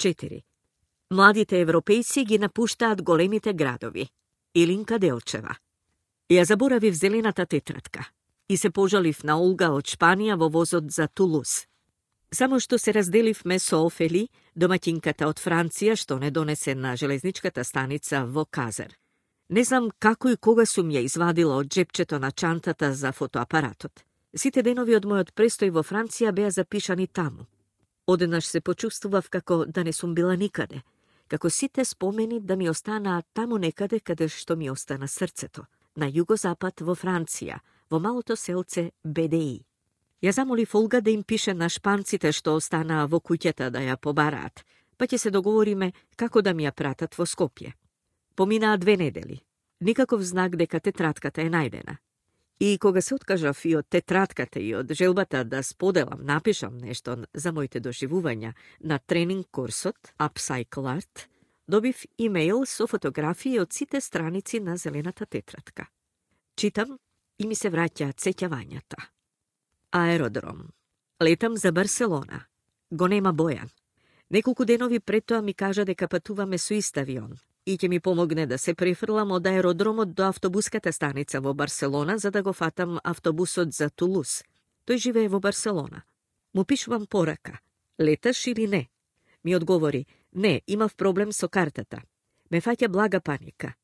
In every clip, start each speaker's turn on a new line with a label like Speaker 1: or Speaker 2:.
Speaker 1: 4. Младите европејци ги напуштаат големите градови. Илинка Делчева. Ја заборавив зелената тетрадка и се пожалив на Олга од Шпанија во возот за Тулуз. Само што се разделивме со Офели, домаќинката од Франција, што не донесе на железничката станица во Казер. Не знам како и кога сум ја извадила од джепчето на чантата за фотоапаратот. Сите денови од мојот престој во Франција беа запишани таму. Одеднаш се почувствував како да не сум била никаде, како сите спомени да ми останаат таму некаде каде што ми остана срцето, на југозапад во Франција, во малото селце БДИ. Ја замолив Олга да им пише на шпанците што останаа во куќата да ја побараат, па ќе се договориме како да ми ја пратат во Скопје. Поминаа 2 недели. Никаков знак дека тетратката е најдена. И кога се откажав и од тетратката и од желбата да споделам, напишам нешто за моите доживувања на тренинг курсот Upcycle Art, добив имејл со фотографии од сите страници на зелената тетрадка. Читам и ми се враќаат сеќавањата. Аеродром. Летам за Барселона. Го нема Бојан. Неколку денови пред тоа ми кажа дека патуваме со ист авион и ќе ми помогне да се префрлам од аеродромот до автобуската станица во Барселона за да го фатам автобусот за Тулуз. Тој живее во Барселона. Му пишувам порака. Леташ или не? Ми одговори, не, имав проблем со картата. Ме фаќа блага паника.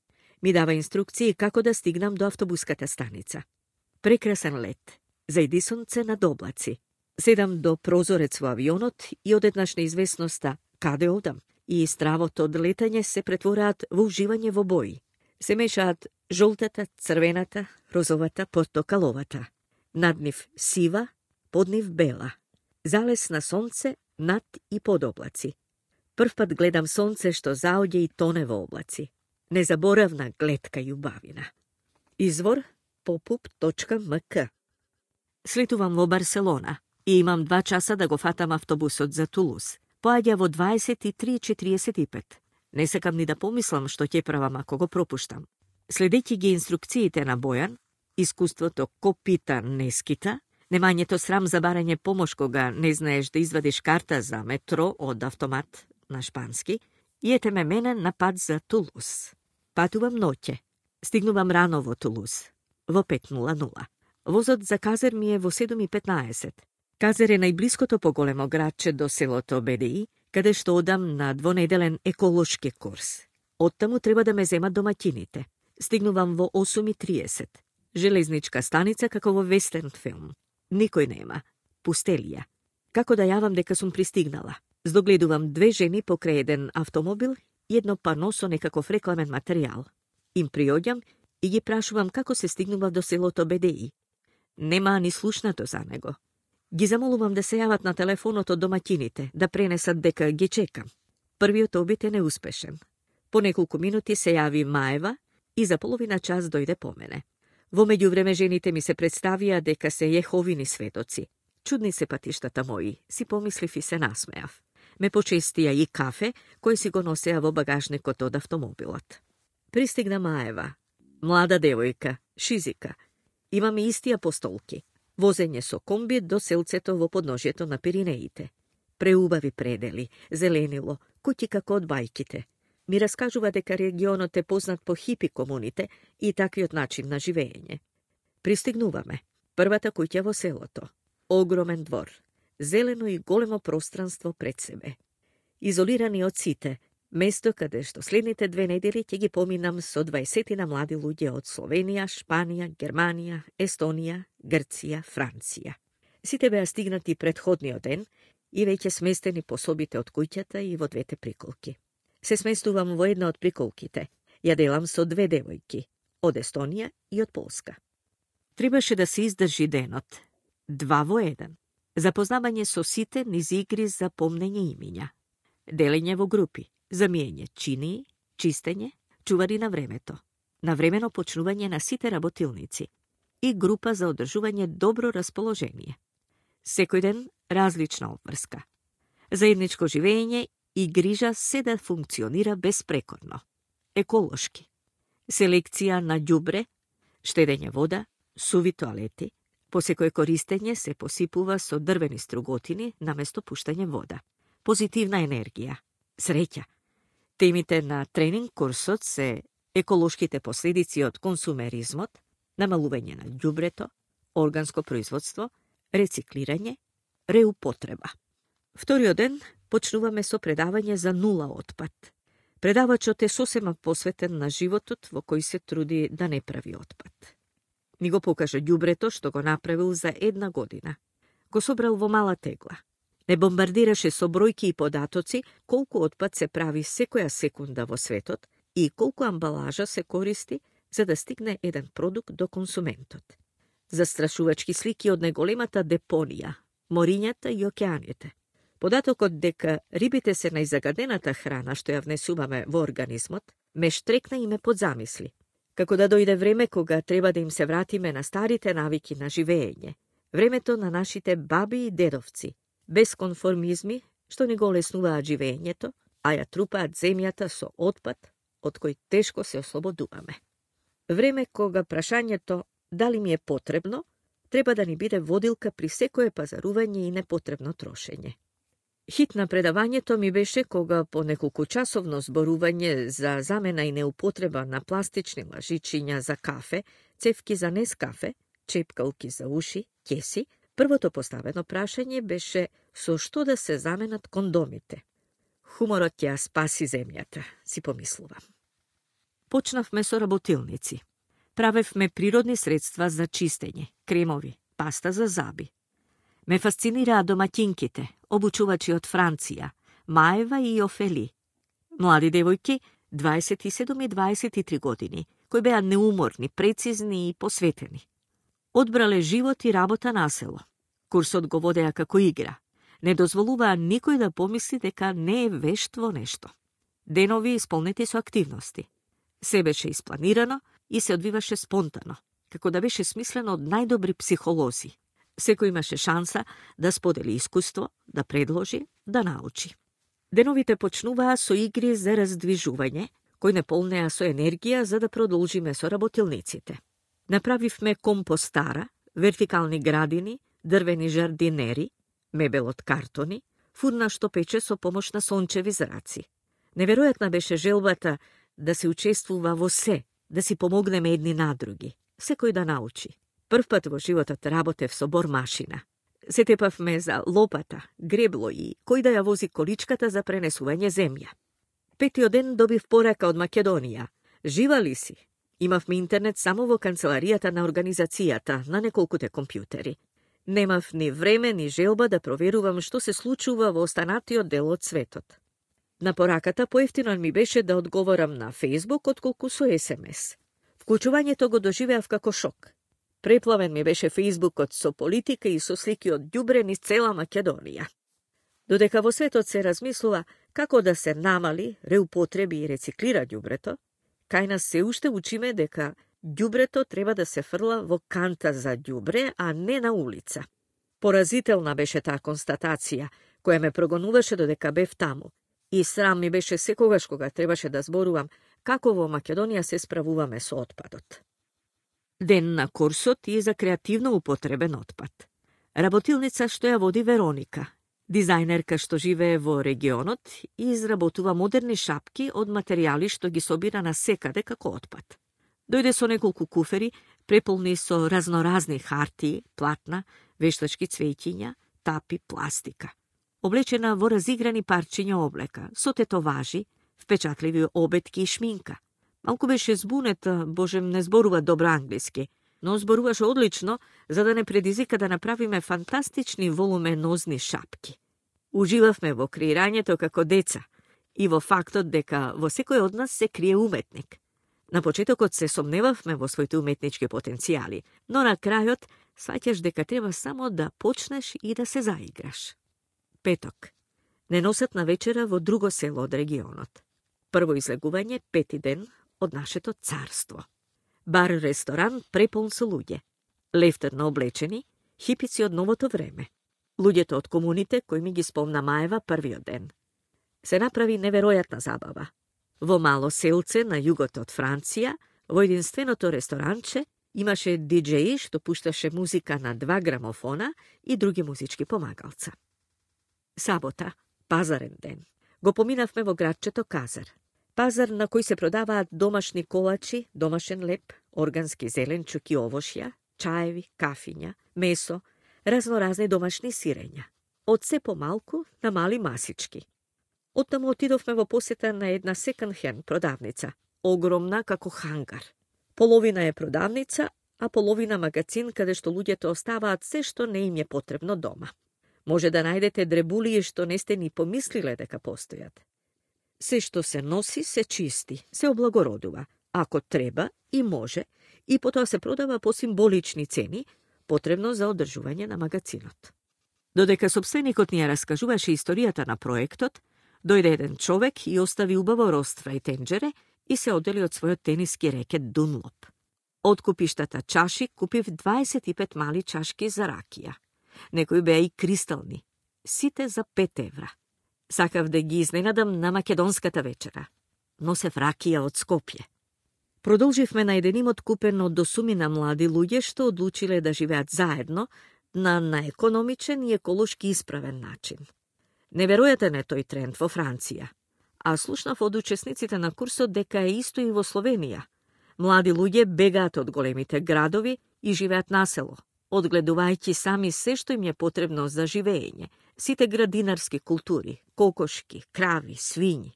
Speaker 1: Ми дава инструкции како да стигнам до автобуската станица. Прекрасен лет. Зајди сонце над облаци. Седам до прозорец во авионот и одеднаш неизвестноста каде одам и стравот од летање се претвораат во уживање во бои. Се мешаат жолтата, црвената, розовата, портокаловата. Над нив сива, под нив бела. Залез на сонце над и под облаци. Прв пат гледам сонце што заоѓа и тоне во облаци. Незаборавна гледка и убавина. Извор popup.mk. Слетувам во Барселона и имам 2 часа да го фатам автобусот за Тулуз. Поаѓа во 23:45. Не сакам ни да помислам што ќе правам ако го пропуштам. Следејќи ги инструкциите на Бојан, искуството ко пита не скита, немањето срам за барање помош кога не знаеш да извадиш карта за метро од автомат на шпански, и ете ме мене на пат за Тулуз. Патувам ноќе. Стигнувам рано во Тулуз, во 5:00. Возот за Казер ми е во 7:15. Казер е најблиското поголемо градче до селото БДИ, каде што одам на двонеделен еколошки курс. Оттаму треба да ме земат домаќините. Стигнувам во 8:30. Железничка станица како во вестерн филм. Никој нема. Пустелија. Како да јавам дека сум пристигнала? Здогледувам 2 жени покрај еден автомобил и едно пано со некаков рекламен материјал. Им приоѓам и ги прашувам како се стигнува до селото БДИ. Нема ни слушнато за него. Ги замолувам да се јават на телефонот од домаќините, да пренесат дека ги чекам. Првиот обид е неуспешен. По неколку минути се јави Маева и за половина час дојде по мене. Во меѓувреме жените ми се представија дека се Јеховини светоци. Чудни се патиштата мои, си помислив и се насмеав. Ме почестија и кафе, кој си го носеа во багажникот од автомобилот. Пристигна Маева. Млада девојка, шизика. Имаме истија постолки. Возење со комби до селцето во подножјето на Пиринеите. Преубави предели, зеленило, куќи како од бајките. Ми раскажува дека регионот е познат по хипи комуните и таквиот начин на живење. Пристигнуваме. Првата куќа во селото. Огромен двор. Зелено и големо пространство пред себе. Изолирани од сите, место каде што следните 2 недели ќе ги поминам со 20 млади луѓе од Словенија, Шпанија, Германија, Естонија, Грција, Франција. Сите беа стигнати претходниот ден и веќе сместени по собите од куќата и во 2 приколки. Се сместувам во една од приколките. Ја делам со 2 девојки, од Естонија и од Полска. Требаше да се издржи денот. 2 во 1. Запознавање со сите низ игри за помнење имиња. Делење во групи. Замиење чинии, чистење, чувари на времето, навремено почнување на сите работилници и група за одржување добро расположение. Секој ден различна обврска. Заедничко живење и грижа се да функционира безпрекорно. Еколошки. Селекција на ѓубре, штедење вода, суви тоалети, по секој користење се посипува со дрвени струготини наместо пуштање вода. Позитивна енергија. Среќа. Темите на тренинг курсот се еколошките последици од консумеризмот, намалување на ѓубрето, органско производство, рециклирање, реупотреба. Вториот ден почнуваме со предавање за нула отпад. Предавачот е сосема посветен на животот во кој се труди да не прави отпад. Ни го покажа ѓубрето што го направил за 1 година. Го собрал во мала тегла. Не бомбардираше со бројки и податоци колку отпад се прави секоја секунда во светот и колку амбалажа се користи за да стигне еден продукт до консументот. Застрашувачки слики од неголемата депонија, морињата и океаните. Податокот дека рибите се најзагадената храна што ја внесуваме во организмот, ме штрекна и ме подзамисли. Како да дојде време кога треба да им се вратиме на старите навики на живење, времето на нашите баби и дедовци, без конформизми што не го леснуваат живењето, а ја трупаат земјата со отпад од кој тешко се ослободуваме. Време кога прашањето дали ми е потребно, треба да ни биде водилка при секое пазарување и непотребно трошење. Хит на предавањето ми беше кога по неколкучасовно зборување за замена и неупотреба на пластични лажичиња за кафе, цевки за Нескафе, чепкалки за уши, кеси, првото поставено прашање беше со што да се заменат кондомите. Хуморот ќе спаси земјата, си помислувам. Почнавме со работилници. Правевме природни средства за чистење, кремови, паста за заби. Ме фасцинираа домаќинките, обучувачи од Франција, Маева и Офели. Млади девојки, 27 и 23 години, кои беа неуморни, прецизни и посветени. Одбрале живот и работа на село. Курсот го водеа како игра. Не дозволуваа никој да помисли дека не е вешт во нешто. Денови исполнети со активности. Се беше испланирано и се одвиваше спонтано, како да беше смислено од најдобри психолози. Секој имаше шанса да сподели искуство, да предложи, да научи. Деновите почнуваа со игри за раздвижување, кои не полнеа со енергија за да продолжиме со работилниците. Направивме компостара, вертикални градини, дрвени жардинери, мебел од картони, фурна што пече со помош на сончеви зраци. Неверојатна беше желбата да се учествува во се, да си помогнеме едни на други, секој да научи. Првпат во животот работев со бормашина. Се тепавме за лопата, гребло и кој да ја вози количката за пренесување земја. Петиот ден добив порака од Македонија. Жива ли си? Имавме интернет само во канцеларијата на организацијата, на неколкуте компјутери. Немав ни време, ни желба да проверувам што се случува во останатиот дел од светот. На пораката поевтино ми беше да одговорам на Facebook отколку со SMS. Вклучувањето го доживеав како шок. Преплавен ми беше Фејсбукот со политика и со слики од ѓубре низ цела Македонија. Додека во светот се размислува како да се намали, реупотреби и рециклира ѓубрето, кај нас се уште учиме дека ѓубрето треба да се фрла во канта за ѓубре, а не на улица. Поразителна беше таа констатација, која ме прогонуваше додека бев таму. И срам ми беше секогаш кога требаше да зборувам како во Македонија се справуваме со отпадот. Ден на курсот и за креативно употребен отпад. Работилница што ја води Вероника, дизајнерка што живее во регионот и изработува модерни шапки од материјали што ги собира на секаде како отпад. Дојде со неколку куфери, преполни со разноразни хартии, платна, вештачки цвеќиња, тапи, пластика. Облечена во разиграни парчиња облека, со тетоважи, впечатливи обетки и шминка. Малку беше збунета, божем не зборува добро англиски, но зборуваше одлично за да не предизвика да направиме фантастични волуменозни шапки. Уживавме во креирањето како деца и во фактот дека во секој од нас се крие уметник. На почетокот се сомневавме во своите уметнички потенцијали, но на крајот сваќаш дека треба само да почнеш и да се заиграш. Петок. Неносатна вечера во друго село од регионот. Прво излегување, пети ден од нашето царство. Бар-ресторан преполн со луѓе. Лефтерно облечени, хипици од новото време. Луѓето од комуните кои ми ги спомна Маева првиот ден. Се направи неверојатна забава. Во мало селце на југот од Франција, во единственото ресторанче, имаше диџеи што пушташе музика на 2 грамофона и други музички помагалца. Сабота, пазарен ден. Го поминавме во градчето Казар. Пазар на кој се продаваат домашни колачи, домашен леп, органски зеленчук и овошја, чаеви, кафиња, месо, разноразни домашни сирења. Од се помалку на мали масички. Оттаму отидовме во посета на една секонд-хенд продавница, огромна како хангар. Половина е продавница, а половина магазин каде што луѓето оставаат се што не им е потребно дома. Може да најдете дребулии што не сте ни помислиле дека постојат. Се што се носи, се чисти, се облагородува, ако треба и може, и потоа се продава по символични цени, потребно за одржување на магазинот. Додека сопственикот ни ја раскажуваше историјата на проектот, дојде еден човек и остави убаво роства и тенџере и се одели од својот тениски рекет Дунлоп. Од купиштата чаши купив 25 мали чашки за ракија. Некои беа и кристални, сите за 5 евра. Сакав да ги изненадам на македонската вечера. Носев ракија од Скопје. Продолживме на еден имот купен од досумина млади луѓе што одлучиле да живеат заедно на економичен и еколошки исправен начин. Неверојатен е тој тренд во Франција, а слушнав од учесниците на курсот дека е исто и во Словенија. Млади луѓе бегаат од големите градови и живеат на село, одгледувајќи сами се што им е потребно за живење, сите градинарски култури, кокошки, крави, свињи.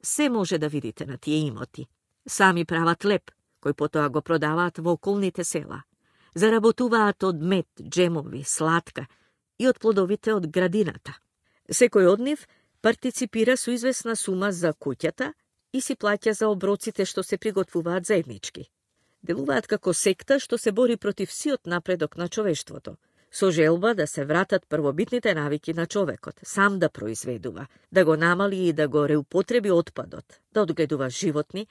Speaker 1: Се може да видите на тие имоти. Сами прават леп, кој потоа го продаваат во околните села. Заработуваат од мед, джемови, сладка и од плодовите од градината. Секој од нив партиципира со известна сума за куќата и си плаќа за оброците што се приготвуваат заеднички. Делуваат како секта што се бори против сиот напредок на човештвото, со желба да се вратат првобитните навики на човекот, сам да произведува, да го намали и да го реупотреби отпадот, да одгледува животни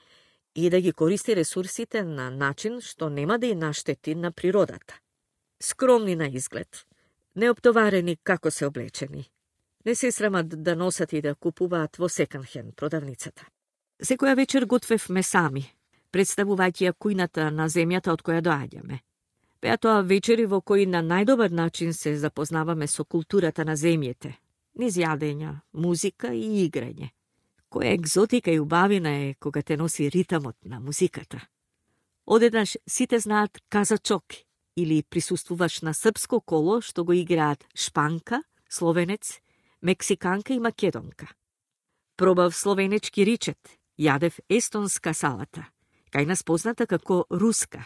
Speaker 1: и да ги користи ресурсите на начин што нема да и наштети на природата. Скромни на изглед, неоптоварени како се облечени. Не се срамат да носат и да купуваат во секонд-хенд продавницата. Секоја вечер готвевме сами, представувајќи ја кујната на земјата од која доаѓаме. Беа тоа вечери во кои на најдобар начин се запознаваме со културата на земјите, низ јадења, музика и играње. Која екзотика и убавина е кога те носи ритамот на музиката. Одеднаш сите знаат казачок или присуствуваш на српско коло што го играат шпанка, словенец, мексиканка и македонка. Пробав словенечки ричет, јадев естонска салата, кај нас позната како руска,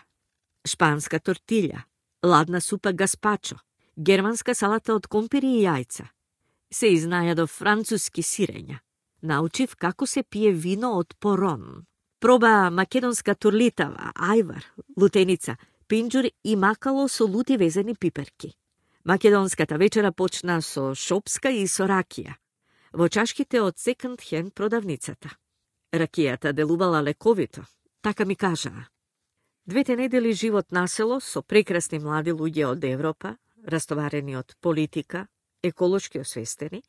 Speaker 1: шпанска тортилја, ладна супа гаспачо, германска салата од компири и јајца. Се изнајадов француски сирења. Научив како се пие вино од порон. Проба македонска турлитава, ајвар, лутеница, пинџур и макало со лути везени пиперки. Македонската вечера почна со шопска и со ракија, во чашките од секонд-хенд продавницата. Ракијата делувала лековито, така ми кажаа. 2 недели живот на село со прекрасни млади луѓе од Европа, растоварени од политика, еколошки освестени,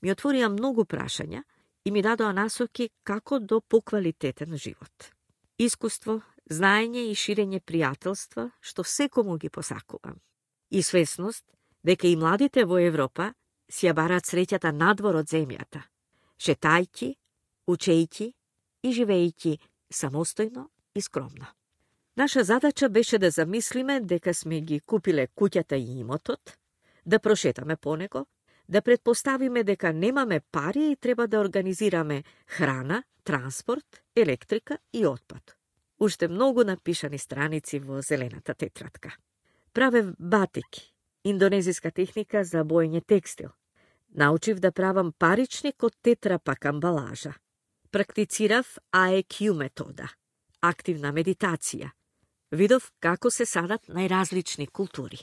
Speaker 1: ми отворија многу прашања и ми дадоа насоки како до поквалитетен живот. Искуство, знаење и ширење пријателства, што секому ги посакувам. И свесност дека и младите во Европа си ја бараат среќата надвор од земјата, шетајќи, учејќи и живејќи самостојно и скромно. Наша задача беше да замислиме дека сме ги купиле куќата и имотот, да прошетаме по него, да предпоставиме дека немаме пари и треба да организираме храна, транспорт, електрика и отпад. Уште многу напишани страници во зелената тетрадка. Правев батик, индонезиска техника за боење текстил. Научив да правам паричник од тетрапак амбалажа. Практицирав AEQ метода, активна медитација. Видов како се садат најразлични култури.